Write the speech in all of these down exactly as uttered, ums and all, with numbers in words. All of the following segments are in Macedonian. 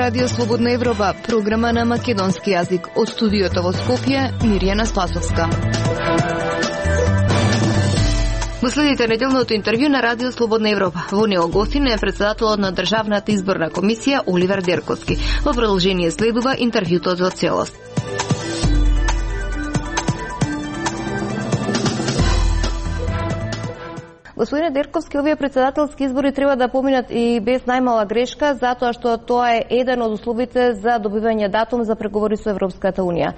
Радио Слободна Европа, програма на македонски јазик. Од студиото во Скопје, Мирјана Спасовска. Го следите неделното интервју на Радио Слободна Европа. Во него гостин е председателот на Државната изборна комисија Оливер Дерковски. Во продолжение следува интервјуто за целост. Господине Дерковски, овие председателски избори треба да поминат и без најмала грешка, затоа што тоа е еден од условите за добивање датум за преговори со Европската Унија.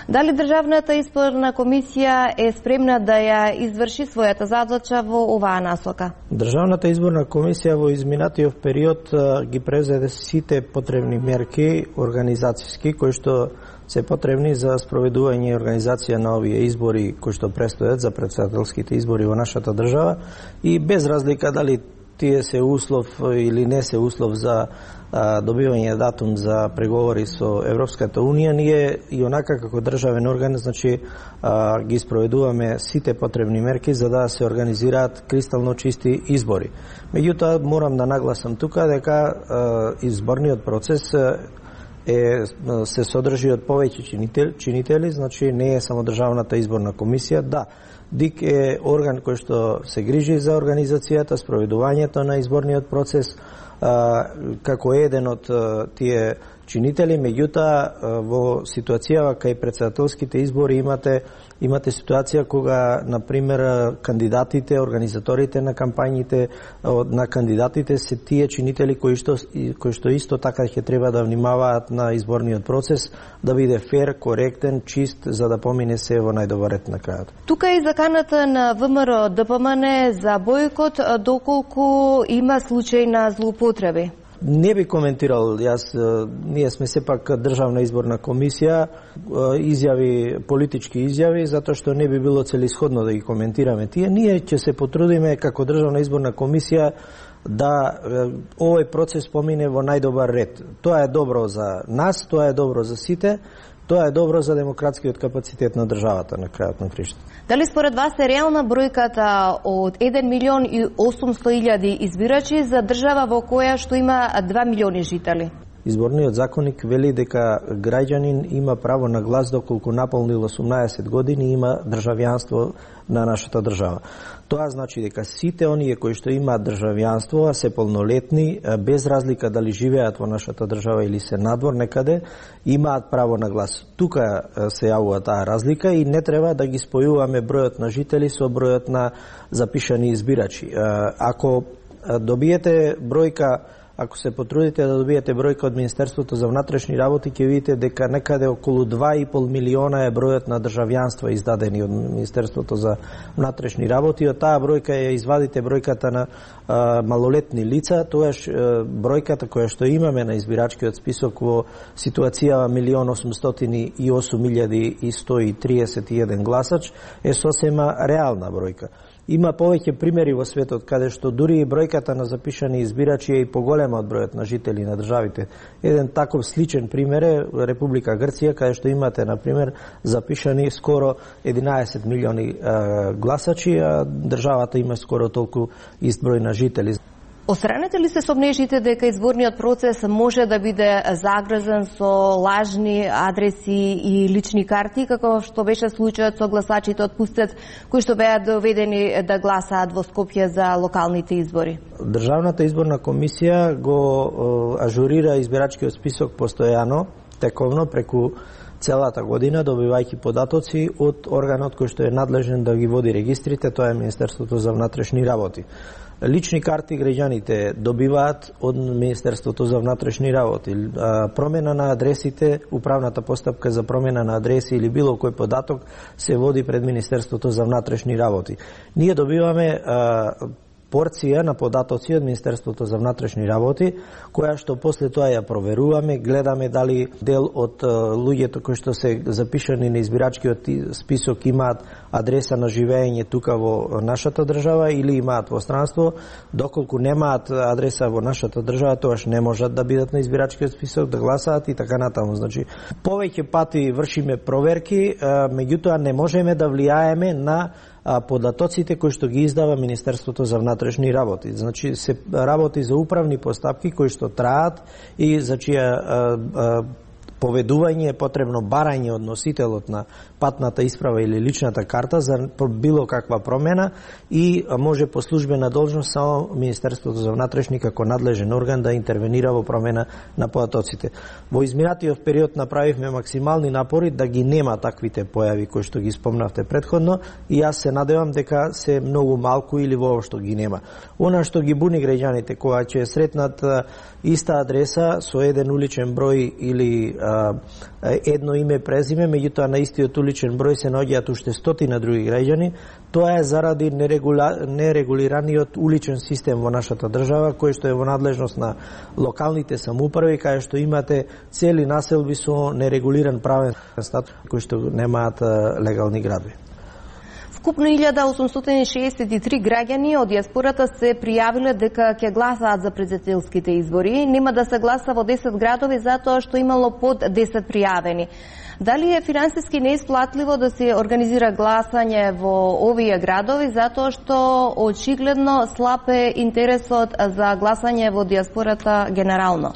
Дали Државната изборна комисија е спремна да ја изврши својата задача во оваа насока? Државната изборна комисија во изминатиот период ги презеде сите потребни мерки организацијски кои што се потребни за спроведување и организација на овие избори кои што престојат за председателските избори во нашата држава и без разлика дали тие се услов или не се услов за а, добивање датум за преговори со Европската Унија, ние и онака како државен орган, значи а, ги спроведуваме сите потребни мерки за да се организираат кристално чисти избори. Меѓутоа морам да нагласам тука дека а, изборниот процес е се содржи од повеќе чинители, чинители, значи не е само Државната изборна комисија, да. ДИК е орган кој што се грижи за организацијата, спроведувањето на изборниот процес, а, како еден од а, тие чинители, меѓутоа во ситуацијава кај председателските избори имате имате ситуација кога на пример кандидатите, организаторите на кампањите на кандидатите се тие чинители кои што кои што исто така ќе треба да внимаваат на изборниот процес да биде фер, коректен, чист за да помине се во најдобар ред на крајот. Тука е заканата на ВМРО Д П М Н за бојкот доколку има случај на злоупотреби. Не би коментирал, јас, ние сме сепак Државна изборна комисија, изјави, политички изјави, затоа што не би било целисходно да ги коментираме тие. Ние ќе се потрудиме како Државна изборна комисија да овој процес помине во најдобар ред. Тоа е добро за нас, тоа е добро за сите, тоа е добро за демократскиот капацитет на државата на крајот на криштата. Дали според вас е реална бројката од еден милион и осумсто илјади избирачи за држава во која што има два милиони жители? Изборниот законник вели дека граѓанин има право на глас доколку наполнил осумнаесет години и има државјанство на нашата држава. Тоа значи дека сите оние кои што имаат државјанство, а се полнолетни, без разлика дали живеат во нашата држава или се надвор некаде, имаат право на глас. Тука се јавува таа разлика и не треба да ги спојуваме бројот на жители со бројот на запишани избирачи. Ако добиете бројка Ако се потрудите да добиете бројка од Министерството за внатрешни работи, ќе видите дека некаде околу два и пол милиона е бројот на државјанства издадени од Министерството за внатрешни работи. Од таа бројка ја извадите бројката на а, малолетни лица, тоаш бројката која што имаме на избирачкиот список во ситуацијава милион осумстотини и осум илјади и сто и триесет и еден гласач е сосема реална бројка. Има повеќе примери во светот каде што дури и бројката на запишани избирачи е и поголема од бројот на жители на државите. Еден таков сличен пример е Република Грција, каде што имате, на пример, запишани скоро единаесет милиони е, гласачи, а државата има скоро толку ист број на жители. Остранете ли се сомнежите дека изборниот процес може да биде загрозен со лажни адреси и лични карти, како што беше случајот со гласачите од Пустец, кои што беа доведени да гласаат во Скопје за локалните избори? Државната изборна комисија го ажурира избирачкиот список постојано, тековно, преку целата година, добивајќи податоци од органот кој што е надлежен да ги води регистрите, тоа е Министерството за внатрешни работи. Лични карти граѓаните добиваат од Министерството за внатрешни работи. Промена на адресите, управната постапка за промена на адреси или било кој податок се води пред Министерството за внатрешни работи. Ние добиваме порција на податоци од Министерството за внатрешни работи, која што после тоа ја проверуваме, гледаме дали дел од луѓето кои што се запишани на избирачкиот список имаат адреса на живење тука во нашата држава или имаат во странство. Доколку немаат адреса во нашата држава, тоаш не можат да бидат на избирачкиот список, да гласаат и така натаму. Значи, повеќе пати вршиме проверки, меѓутоа не можеме да влијаеме на податоците кои што ги издава Министерството за внатрешни работи. Значи се работи за управни постапки кои што траат и за чија поведување е потребно барање од носителот на патната исправа или личната карта за било каква промена и може по службена должност само Министерството за внатрешни како надлежен орган да интервенира во промена на податоците. Во изминатиот период направивме максимални напори да ги нема таквите појави кои што ги спомнавте претходно и јас се надевам дека се многу малку или воопшто ги нема. Она што ги буни граѓаните кога ќе сретнат иста адреса со еден уличен број или а, едно име презиме, меѓутоа на истиот уличен број се наоѓаат уште стотина други граѓани, тоа е заради нерегула... нерегулираниот уличен систем во нашата држава, кој што е во надлежност на локалните самоуправи, кај што имате цели населби со нерегулиран правен статус, кои што немаат легални градови. Вкупно илјада осумстотини шеесет и три граѓани од дијаспората се пријавиле дека ќе гласаат за претседателските избори. Нема да се гласа во десет градови затоа што имало под десет пријавени. Дали е финансиски неисплатливо да се организира гласање во овие градови затоа што очигледно слаб е интересот за гласање во дијаспората генерално?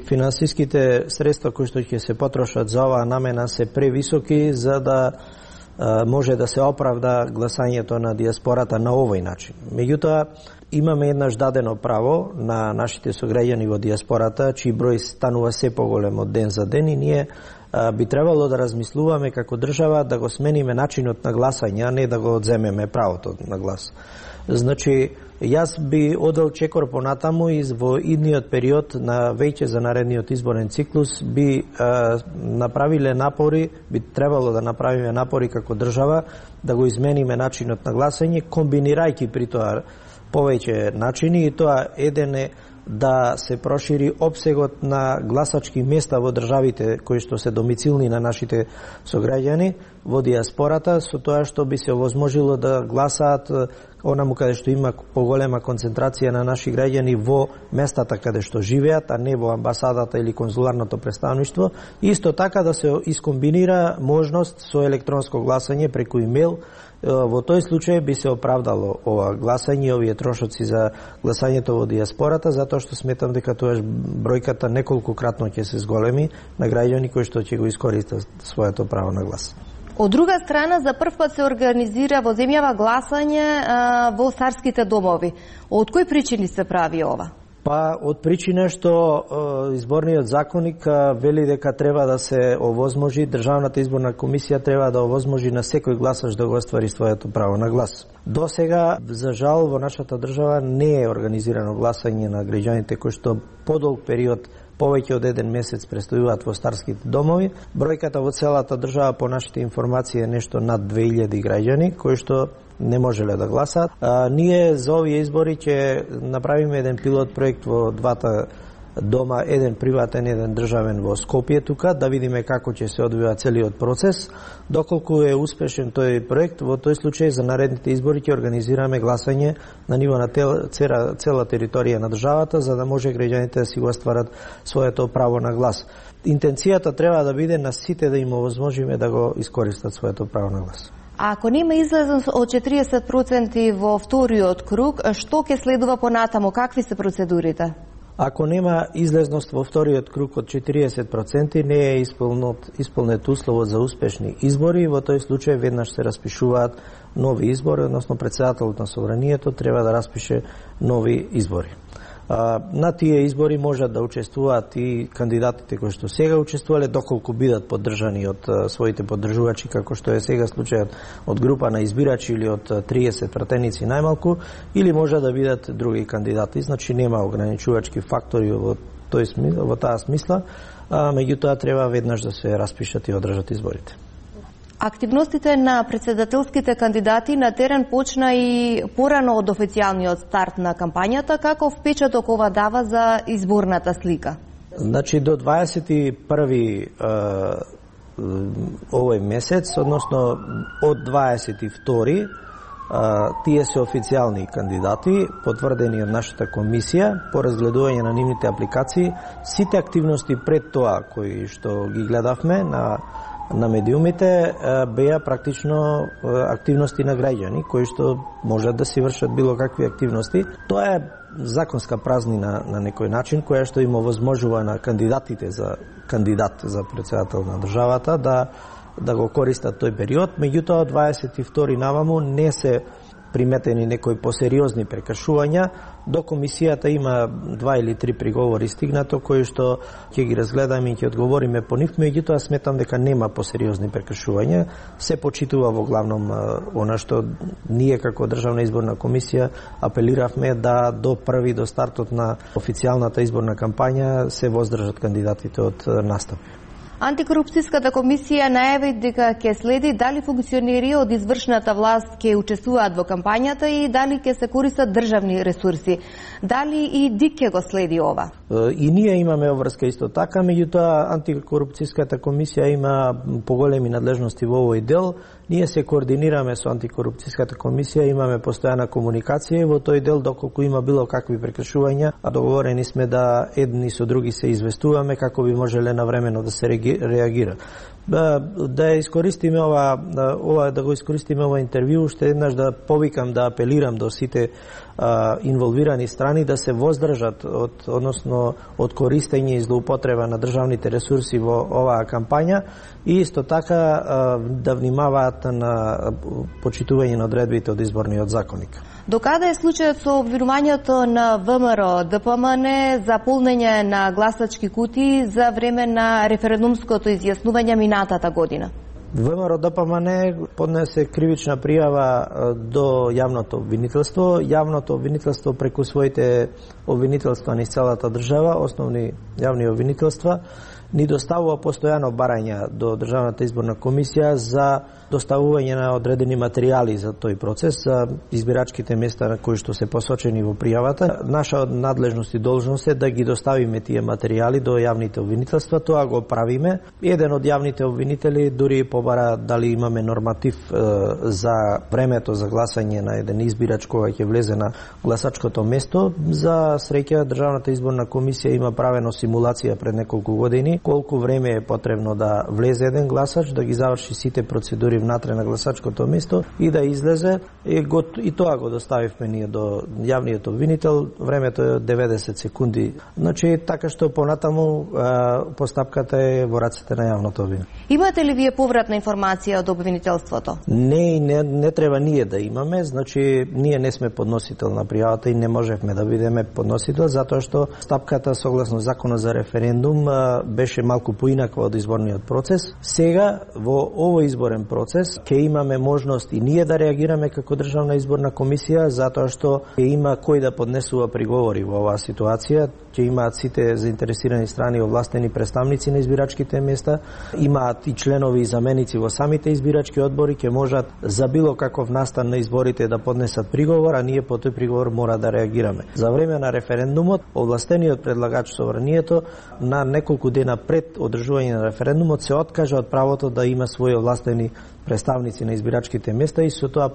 Финансиските средства кои што ќе се потрошат за оваа намена се превисоки за да може да се оправда гласањето на дијаспората на овој начин. Меѓутоа, имаме еднаш дадено право на нашите сограѓани во дијаспората, чиј број станува се поголем од ден за ден и ние а, би требало да размислуваме како држава да го смениме начинот на гласање, а не да го одземеме правото на глас. Значи, јас би одел чекор понатаму и во идниот период на веќе за наредниот изборен циклус би а, направиле напори, би требало да направиме напори како држава да го измениме начинот на гласање, комбинирајќи при тоа повеќе начини и тоа еден е да се прошири опсегот на гласачки места во државите кои што се домицилни на нашите сограѓани во дијаспората, со тоа што би се овозможило да гласаат онаму каде што има поголема концентрација на наши граѓани во местата каде што живеат, а не во амбасадата или конзуларното представништво. Исто така да се искомбинира можност со електронско гласање преку имейл. Во тој случај би се оправдало ова гласање, овие трошоци за гласањето во дијаспората, затоа што сметам дека тоа бројката неколкократно ќе се зголеми на граѓани кои што ќе го искористат своето право на глас. Од друга страна, за прв пат се организира во земјава гласање а, во царските домови. Од кои причини се прави ова? Па, од причина што е, изборниот законник е, вели дека треба да се овозможи, Државната изборна комисија треба да овозможи на секој гласач да го оствари своето право на глас. До сега, за жал, во нашата држава не е организирано гласање на граѓаните кои што подолг период повеќе од еден месец престојуваат во старските домови. Бројката во целата држава по нашите информации е нешто над две илјади граѓани кои што не можеле да гласаат. А, ние за овие избори ќе направиме еден пилот проект во двата дома, еден приватен, еден државен во Скопје тука, да видиме како ќе се одвива целиот процес. Доколку е успешен тој проект, во тој случај за наредните избори ќе организираме гласање на ниво на цела, цела територија на државата, за да може граѓаните да си го остварат своето право на глас. Интенцијата треба да биде на сите да им овозможиме да го искористат своето право на глас. А ако нема излезност од четириесет проценти во вториот круг, што ќе следува понатаму? Какви се процедурите? Ако нема излезност во вториот круг од четириесет проценти, не е исполнет, исполнет условот за успешни избори, во тој случај веднаш се распишуваат нови избори, односно претседателот на собранието треба да распише нови избори. На тие избори можат да учествуваат и кандидатите кои што сега учествувале, доколку бидат поддржани од своите поддржувачи, како што е сега случајот од група на избирачи или од триесет пратеници најмалку, или може да бидат други кандидати. Значи нема ограничувачки фактори во тој смисла, во таа смисла, а меѓутоа треба веднаш да се распишат и одржат изборите. Активностите на претседателските кандидати на терен почна и порано од официјалниот старт на кампањата. Каков впечаток ова дава за изборната слика? Значи до дваесет и први овој месец, односно од дваесет и втори тие се официјални кандидати, потврдени од нашата комисија по разгледување на нивните апликации. Сите активности пред тоа кои што ги гледавме на на медиумите беа практично активности на граѓани кои што можат да си вршат било какви активности. Тоа е законска празнина на некој начин која што им овозможува на кандидатите за кандидат за председател на државата да да го користат тој период. Меѓутоа од дваесет и втори наваму не се приметени некои посериозни прекршувања. До комисијата има два или три приговори стигнато кои што ќе ги разгледаме и ќе одговориме по нив, меѓутоа сметам дека нема посериозни прекршувања. Се почитува во главном она што ние како Државна изборна комисија апелиравме да до први до стартот на официјалната изборна кампања се воздржат кандидатите од настапи. Антикорупцијската комисија најави дека ќе следи дали функционери од извршната власт ќе учествуваат во кампањата и дали ќе се користат државни ресурси. Дали и ДИК ќе го следи ова? И ние имаме обврска исто така, меѓутоа Антикорупцијската комисија има поголеми надлежности во овој дел. Ние се координираме со Антикорупцијската комисија, имаме постојана комуникација и во тој дел доколку има било какви прекршувања, а договорени сме да едни со други се известуваме како би можеле навремено да се реагира. Да, да искористиме ова, ова да го искористиме ова интервју, уште еднаш да повикам да апелирам до сите а, инволвирани страни да се воздржат од односно од користење и злоупотреба на државните ресурси во оваа кампања и исто така а, да внимаваат на почитување на одредбите од изборниот законник. Докаде е случајот со обвинувањето на ВМРО ДПМН за полнење на гласачки кутии за време на референдумското изјаснување минатата година? ВМРО ДПМН поднесе кривична пријава до јавното обвинителство. Јавното обвинителство преку своите обвинителства низ целата држава, основни јавни обвинителства, ни доставува постојано барања до Државната изборна комисија за доставување на одредени материјали за тој процес, за избирачките места на кои што се посочени во пријавата. Наша надлежност и должност е да ги доставиме тие материјали до јавните обвинителства. Тоа го правиме. Еден од јавните обвинители дури побара дали имаме норматив е, за времето за гласање на еден избирач кога ќе влезе на гласачкото место. За среќа Државната изборна комисија има правено симулација пред неколку години колку време е потребно да влезе еден гласач, да ги заврши сите процедури внатре на гласачкото место и да излезе. И, го, и тоа го доставивме ние до јавниот обвинител. Времето е деветдесет секунди. Значи, така што понатаму а, постапката е во рацете на јавното обвинител. Имате ли вие повратна информација од обвинителството? Не, не, не треба ние да имаме. Значи, ние не сме подносител на пријавата и не можевме да бидеме подносител, затоа што стапката согласно Законот за референдум а, беше малку поинаква од изборниот процес. Сега, во овој изборен процес, ќе имаме можност и ние да реагираме како Државна изборна комисија, затоа што ќе има кој да поднесува приговори во оваа ситуација, ќе имаат сите заинтересирани страни овластени представници на избирачките места, имаат и членови и заменици во самите избирачки одбори, ќе можат за било каков настан на изборите да поднесат приговор, а ние по тој приговор мора да реагираме. За време на референдумот, овластениот предлагач Собранието на неколку дена пред одржување на референдумот се откажа од правото да има своји овластени представници на избирачките места и со тоа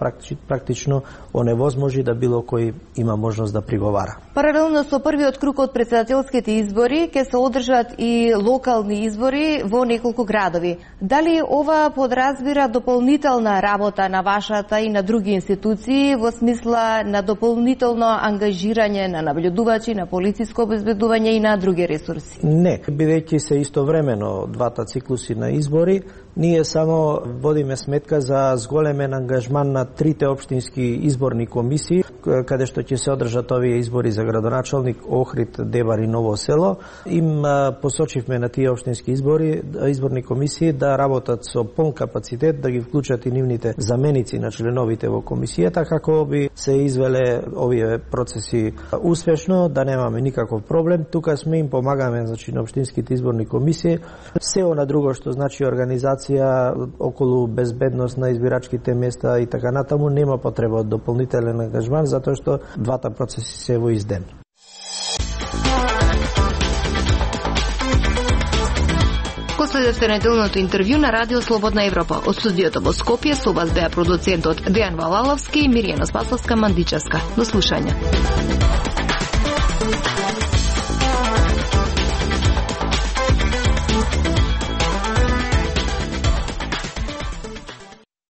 практично оневозможи да било кој има можност да приговара. Паралелно со првиот круг од председателските избори ќе се одржат и локални избори во неколку градови. Дали ова подразбира дополнителна работа на вашата и на други институции во смисла на дополнително ангажирање на наблюдувачи, на полициско обезбедување и на други ресурси? Не, бидејќи се истовремено двата циклуси на избори, ние само водиме сметка за зголемен ангажман на трите општински изборни комисии, каде што ќе се одржат овие избори за градоначалник, Охрид, Дебар и Ново село. Им посочивме на тие општински избори, изборни комисии да работат со полн капацитет, да ги вклучат и нивните заменици на членовите во комисијата, како би се извеле овие процеси успешно, да немаме никаков проблем. Тука сме им помагаме, значи, на општинските изборни комисии. Се она друго што значи организација околу безбедност на избирачките места и така натаму, нема потреба од дополнителен ангажман, затоа што двата процеси се во изден. Го следевте неделното интервју на Радио Слободна Европа. Од студиото во Скопје со вас беа продуцентот Дејан Валаловски и Миријана Спасовска Мандичевска. До слушање.